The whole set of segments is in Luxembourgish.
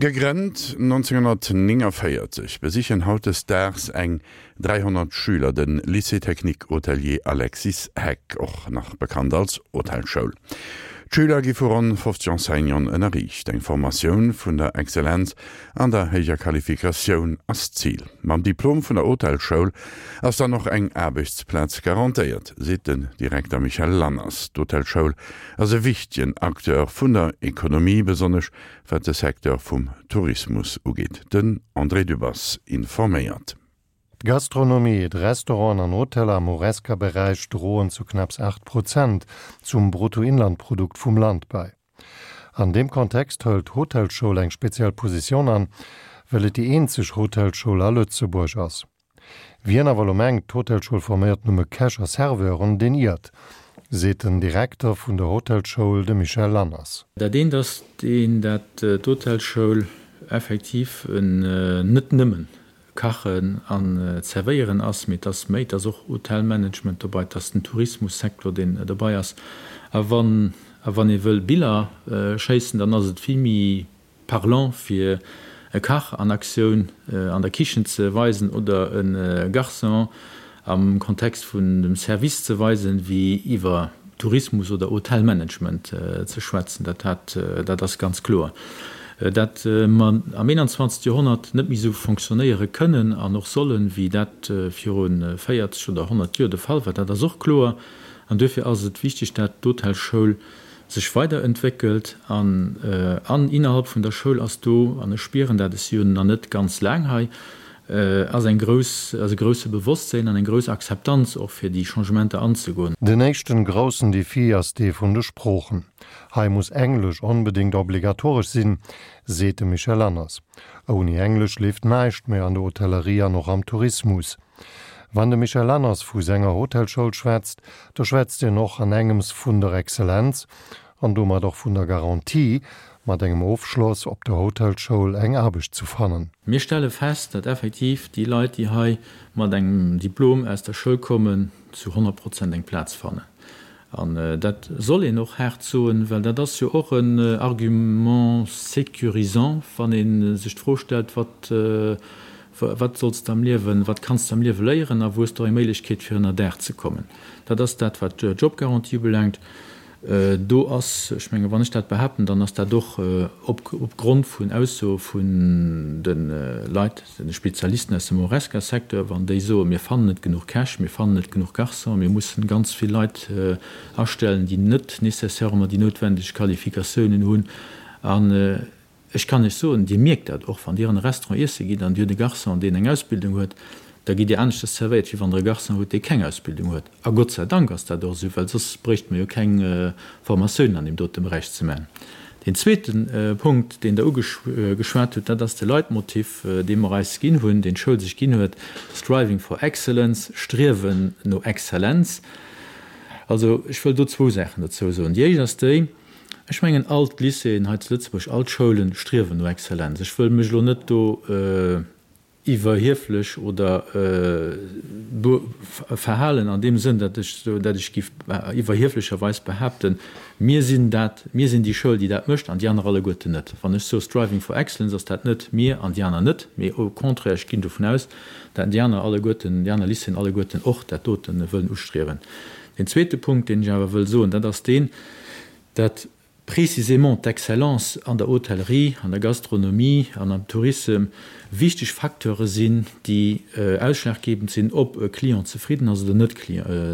Gegrënnt 1949, besichen hautdesdaags eng 300 Schüler de Lycée technique hôtelier Alexis Heck, och nach bekannt als Hotelschoul. D'Schüler gi vu ronn 50 Enseignanten ënnerriicht. Eng Formatioun vun der Exzellenz an der héijer Qualifikatioun ass d'Zil. Mam Diplom vun der Hotelschoul ass dann och eng Aarbechtsplaz garantéiert, seet den Direkter Michel Lanners. D'Hotelschoul ass e wichtegen Acteur vun der Ekonomie, besonnesch wat de Secteur vum Tourismus ugeet. Den André Dübbers informéiert. D'Gastronomie, d'Restauranten an Hoteller am Horesca-Beräich droen zu knapps 8 Prozent zum Bruttoinlandprodukt vum Land bei. An deem Kontext hëlt d'Hotelschoul eng speziell Positioun an, well et déi eenzeg Hotelschoul a Lëtzebuerg ass. Wien awer elo mengt, d'Hotelschoul forméiert nëmme Käch a Serveuren, deen iert, seet den Direkter vun der Hotelschoul, de Michel Lanners. Dat eent ass deen, dat d'Hotelschoul effektiv net nëmmen Kachen an Zerwéieren ass, mee et ass méi, et ass och Hotelmanagement dobei, et ass den Tourismussecteur, deen dobei ass. A wann a wann ee wëll Biller schéissen, dann ass et vill méi Parlant fir e Kach an Aktioun an der Kichen ze weisen oder e Garçon am Kontext vun dem Service ze weisen, wéi iwwer Tourismus oder Hotelmanagement ze schwätzen. Dat hat, dat ass ganz kloer. Dat mer am 21. Joerhonnert net méi esou fonctionnéiere kënnen an och sollen, wéi dat viru 40 oder 100 Joer de Fall war, dat ass och kloer. An duerfir ass et wichteg, dat d'Hotelschoul sech weiderentwéckelt an an innerhalb vun der Schoul ass do, an ech spieren dat, ech si jo nach net ganz laang hei, ass eng grouss, ass e grousse Bewosstséin an eng grouss Akzeptanz och fir déi Changementer anzegoen. Den éischten groussen Defi ass dee vun de Sproochen. Hei muss Englesch onbedéngt obligatoresch sinn, seet de Michel Lanners. Ouni Englesch leeft näischt méi an der Hotellerie an och am Tourismus. Wann de Michel Lanners vu senger Hotelschoul schwätzt, da schwätzt hien och an engems vun der Exzellenz an domat och vun der Garantie, mat engem Ofschloss op der Hotelschoul eng Aarbecht zu fannen. Mir stelle fest, datt effektiv déi Leit, déi hei mat engem Diplom aus der Schoul kommen, zu 100 Prozent eng Plaz fannen. An dat soll een och haart soen, well dat ass jo och en Argument sécurisant, wann ee sech d'Fro stellt, Wat, wat solls de am Liewen, wat kanns de am Liewe léieren a wou hues de och eng Méiglechkeet, fir ënnerdaach ze kommen? Dat ass dat, wat d'Jobgarantie ubelaangt. Do ass, ech menge wann ech dat behaapten, dann ass dat och opgrond vun Aussoe vun de Leit, de Spezialisten aus dem Horesca-Secteur, wann déi soen, mir fannen net genuch Käch, mir fannen net genuch Garçonen, mir mussen ganz vill Leit astellen, déi net nécessairement déi noutwendeg Qualifikatiounen hunn. An Ech kann Iech soen, Dir mierkt dat och, wann Dir an e Restaurant iesse gitt an Dir hutt e Garçon, deen eng Ausbildung huet, da gitt Dir aneschters zerwéiert, wéi wann Der e Garçon hutt, dee keng Ausbildung huet. A Gott sei Dank ass dat och esou, well soss bréichte mer jo keng Formatiounen an deem dote Beräich ze maachen. Deen zweete Punkt, deen Der ugeschwat hutt, dat ass de Leitmotiv, dee mer eis ginn hunn, deen d'Schoul sech ginn huet, Striving for excellence, Striewen no Exzellenz. Also, ech wëll do zwou Saachen dozou soen. Déi éischt ass déi, Ech mengen, all d'Lycéeën hei zu Lëtzebuerg, all d'Schoulen striewen no Exzellenz. Ech wëll mech elo net do iwwerhieflech oder verhalen an deem Sënn, datt ech, datt ech géif iwwerhieflecherweis behaapten, mir sinn dat, mir sinn déi Schoul, déi dat mécht an déi aner alleguerten net. Wann ech soe striving for excellence, ass dat net mir an déi aner net, mee au contraire, ech ginn dovun aus, datt déi aner alleguerten, déi aner Lycéeën alleguerten och dat dote wëllen ustriewen. Deen zweete Punkt, deen ech awer wëll soen, dat ass deen, dat précisément d'Excellence an der Hotellerie, an der Gastronomie an am Tourissem wichteg Facteure sinn, déi ausschlaggebend sinn, ob e Client zefridden ass oder net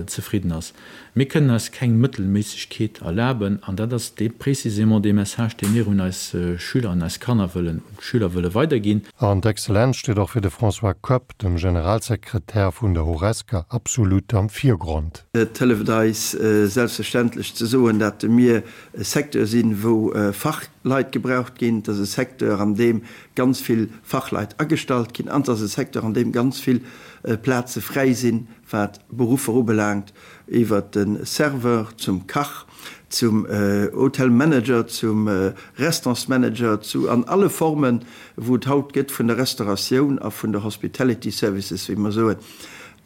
zefridden ass. Mir kënnen eis keng Mëttelméissegkeet erlaben, an dat ass dee précisément dee Message, dee mir un eis Schüler, un eis Kanner wëllen, un d'Schüler wëlle weiderginn. An d'Exzellenz steet och fir de François Koepp, dem Generalsekretär vun der Horesca, absolut am Virgrond. Et hëlleft eis selbstverständlech ze soen, dat mir e Secteur sinn, wou Fachleit gebraucht ginn. Et ass e Secteur, an deem ganz vill Fachleit agestallt ginn an et ass e Secteur, an deem ganz vill Plaze fräi sinn, wat Beruffer ubelaangt, iwwert de Serveur zum Kach, zum Hotelmanager, zum Restaurantsmanager, zu an alle Formen, wou et haut gëtt vun der Restauratioun a vun der Hospitality Services, wéi mer soen.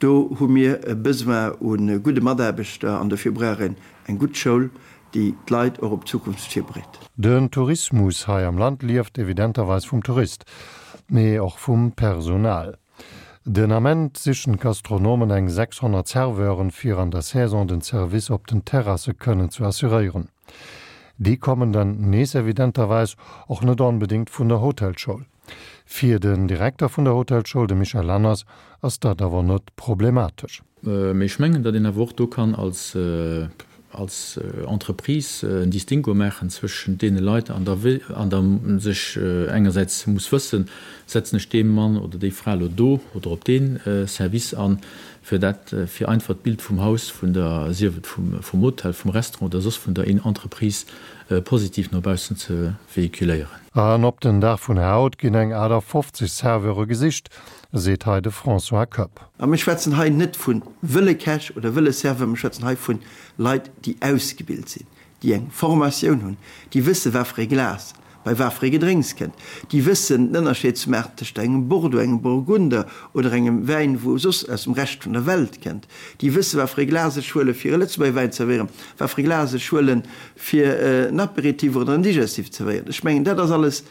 Do hu mir e Besoin u gudde Mataarbechter an dofir brauch een eng gutt Schoul, déi. déi d'Leit och op d'Zukunft virbereet. Den Tourismus hei am Land lieft evidenterweis vum Tourist, mee och vum Personal. Den Ament sichen d'Gastronomen eng 600 Serveuren, fir an der Saison den Service op den Terrasse kënnen ze assuréieren. Déi kommen dann nees evidenterweis och net onbedéngt vun der Hotelschoul. Fir den Direkter vun der Hotelschoul, de Michel Lanners, ass dat awer net problematesch. Mee ech mengen, datt een awer och do kann als als Entreprise en Distinguo maachen zwëschent deene Leit an der an der sech engersäits muss wëssen, setzen ech dee Mann oder déi Fra elo do oder op dee Service an, fir dat fir einfach d'Bild vum Haus, vun der, sief et vum vum Hotel, vum Restaurant oder soss vun der Entreprise positiv no baussen ze véhiculéieren. An op den Dag vun haut ginn eng 58 Serveure gesicht, seet hei de François Koepp. A mir schwätzen hei net vu wëlle Käch oder wëlle Serveur, mir schwätzen hei vu Leit, déi ausgebilt sinn, déi eng Formatioun hunn, déi wësse wat fir ee Glas bei wat fir ee Gedrénks kënnt, déi wëssen den Ënnerscheed ze maachen tëscht engem Bordeaux, engem Burgunder oder engem Wäin, wou soss aus dem Rescht vun der Welt kënnt, déi wësse wat fir ee Glas ech huele fir e Lëtzebuerger Wäin ze zerwéieren, wat fir ee Glas ech huelen, fir en Apéritif oder en Digestif ze zerwéieren. Ech mengen, dat ass alles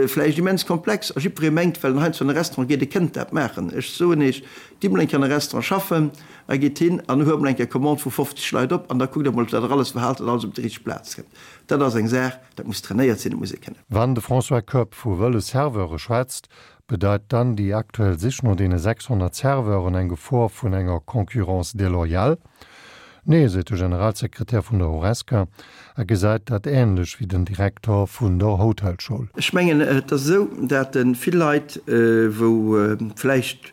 vläicht immens komplex a jiddweree mengt, well en heiansdo an e Restaurant geet, e kënnt dat maachen. Ech soen Iech, gitt mol eng Kéier an e Restaurant schaffen a gitt hin an huelt mol eng Kéier Commande vu 50 Leit op an da kuckt Der mol, wat Der alles verhaalt, datt alles op déi richteg Plaz kënnt. Dat ass eng Saach, dat muss trainéiert sinn, dat muss ee kënnen. Wann de François Koepp vu wëlle Serveure schwätzt, bedeit dann déi aktuell Sich no deene 600 Serveuren eng Gefor vun enger Concurrence déloyale? Nee, seet de Generalsekretär vun der Horesca a gesäit dat änlech wéi den Direkter vun der Hotelschoul. Ech mengen, et ass esou, dat vill Leit, wou vläicht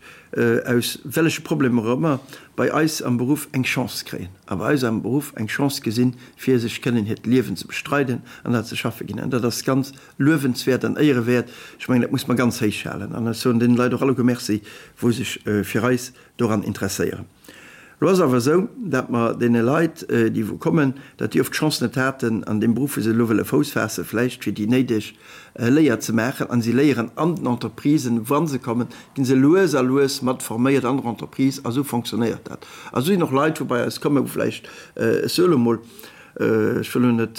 aus welleche Problemer och ëmmer, bei eis am Beruff eng Chance kréien a bei eis am Beruff eng Chance gesinn, fir sech kënnen hiert Liewen ze bestreiden an dat ze schaffe ginn. An dat ass ganz luewenswäert an éierewäert. Ech mengen, dat muss mer ganz héich halen. An ech soen deene Leit och alleguer Merci, wou sech fir eis doran interesséieren. Elo ass awer esou, dat mer deene Leit, déi wou kommen, dat déi oft d'Chance net haten, an deem Beruff, wou se elo wëlle Fouss faassen, vläicht fir déi néideg Léier ze maachen. A si léieren an den Entreprisen, wa se kommen, gi se lues a lues mat forméiert an der Entreprise. A sou fonctionnéiert dat. A sou sinn och Leit, wou bei eis kommen, wou vläicht, ech soe elo mol, ech wëll elo net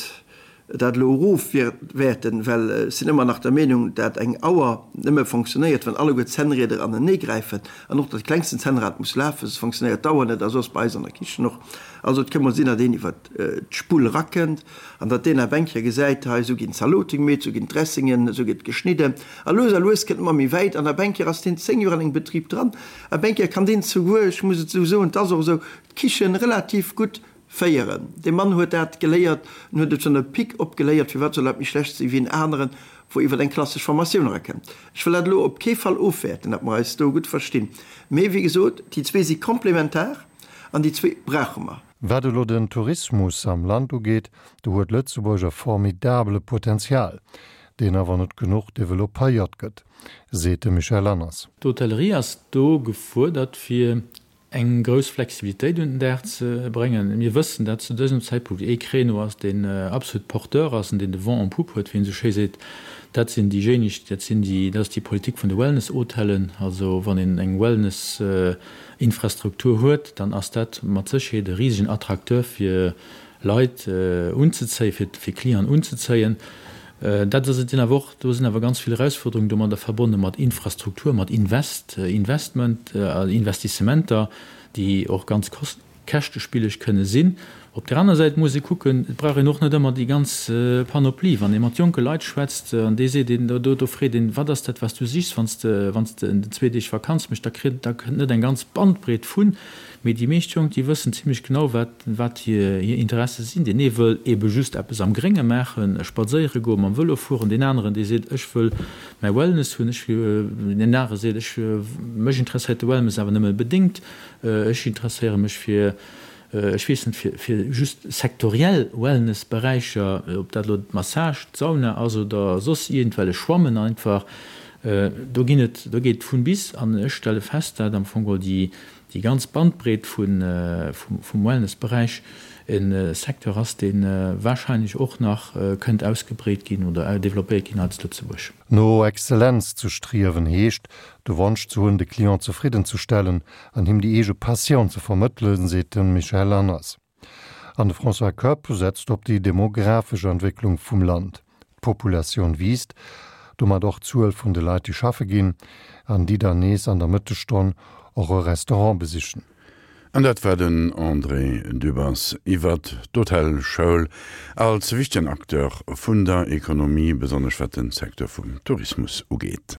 dat elo erofwäerten, well ech sinn ëmmer nach der Meenung, dat eng Auer nëmme fonctionnéiert, wann alleguer d'Zännrieder anenee gräifen an och dat klengsten Zännrad muss lafen, soss fonctionnéiert d'Auer net a soss bei eis an der Kichen och. Also et ka mol sinn, datt een iwwer d'Spull erakënnt an datt deen ab eng Kéier gesäit, hei esou ginn d'Zalote gemeet, esou ginn d'Dressingen, esou gëtt geschnidden a lues a lues kënnt e mer méi wäit an ab eng Kéier ass deen 10 Joer an engem Betrib dran, ab eng Kéier kann deen souguer, ech muss et esou soen, et ass och esou, d'Kichen relativ gutt Féieren. Dee Mann huet dat geléiert, en huet et vun der Pique op geléiert, firwat soll dat méi schlecht sinn wéi en aneren, wou iwwer eng klassesch Formatioun erakënnt. Ech wëll dat elo op kee Fall ofwäerten, datt mer eis do gutt verstinn, mee wéi gesot, déi zwee si komplementar an déi zwee brauche mer. Wat elo den Tourismus am Land ugeet, do huet Lëtzebuerg e formidabele Potenzial, deen awer net genuch developpéiert gëtt, seet de Michel Lanners. D'Hotellerie ass do gefuerdert, fir eng grouss Flexibilitéit un den Dag ze bréngen. Mir wëssen, dat zu dësem Zäitpunkt ee Créneau ass, deen absolut porteur ass an deen de Vent en poupe huet, wéi een esou schéi seet. Dat sinn déijéineg, dat sinn déi, dat ass déi Politik vun de Wellness-Hotellen. Also wann een eng Wellness-Infrastruktur huet, dann ass dat mat Sécherheet e risegen Attracteur fir Leit unzezéien, fir fir Clienten unzezéien. Dat ass et sinn awer och, do sinn awer ganz vill Erausfuerderungen domadder verbonne mat Infrastruktur, mat Invest, Investment, Investissementer, déi och ganz käschtespilleg kënne sinn. Op där aner Säit muss ee kucken, et brauch een och net ëmmer déi ganz Panoplie. Wann ee mat jonke Leit schwätzt an dee seet een, do do freet een, wat ass dat wat s du sichs, wann s de wann s de zwee Deeg Vakanz méchs, da kritt da kënnt net eng ganz Bandbreet vun. Mee déi meescht Jonk, déi wëssen zimlech genau, wat, wat hir, hir Interesse sinn. Deen ee wëll eebe just eppes am Grénge maachen, spadséiere goen, mam Vëlo fueren. Deen aneren, dee seet, ech wëll mäi Wellness hunn. Ech, deen anere seet, ech, mech interesséiert de Wellness awer nëmme bedéngt. Ech interesséiere mech fir, ech weess net, fir, fir just sektoriell Wellnessberäicher, ob dat elo d'Massage, d'Sauna ass oder soss iergendwellech Schwammen einfach. Do ginn et, do geet et vun bis. An ech stelle fest, dat am Fong geholl déi, déi ganz Bandbreet vum Wellnessberäich e Secteur ass, dee wahrscheinlech och nach kënnt ausgebreet ginn oder développéiert ginn hei zu Lëtzebuerg. No Exzellenz ze striewen heescht, de Wonsch ze hunn, de Client zefridden ze stellen an him déi eege Passioun ze vermëttelen, seet de Michel Lanners. An de François Koepp setzt op déi demografesch Entwécklung vum Land. D'Populatioun wiisst, domat och d'Zuel vun de Leit, déi schaffe ginn an déi dann nees an der Mëttesstonn och e Restaurant besichen. An dat war den André Dübbers iwwert d'Hotelschoul als wichtegen Acteur vun der Ekonomie, besonnesch wat de Secteur vum Tourismus ugeet.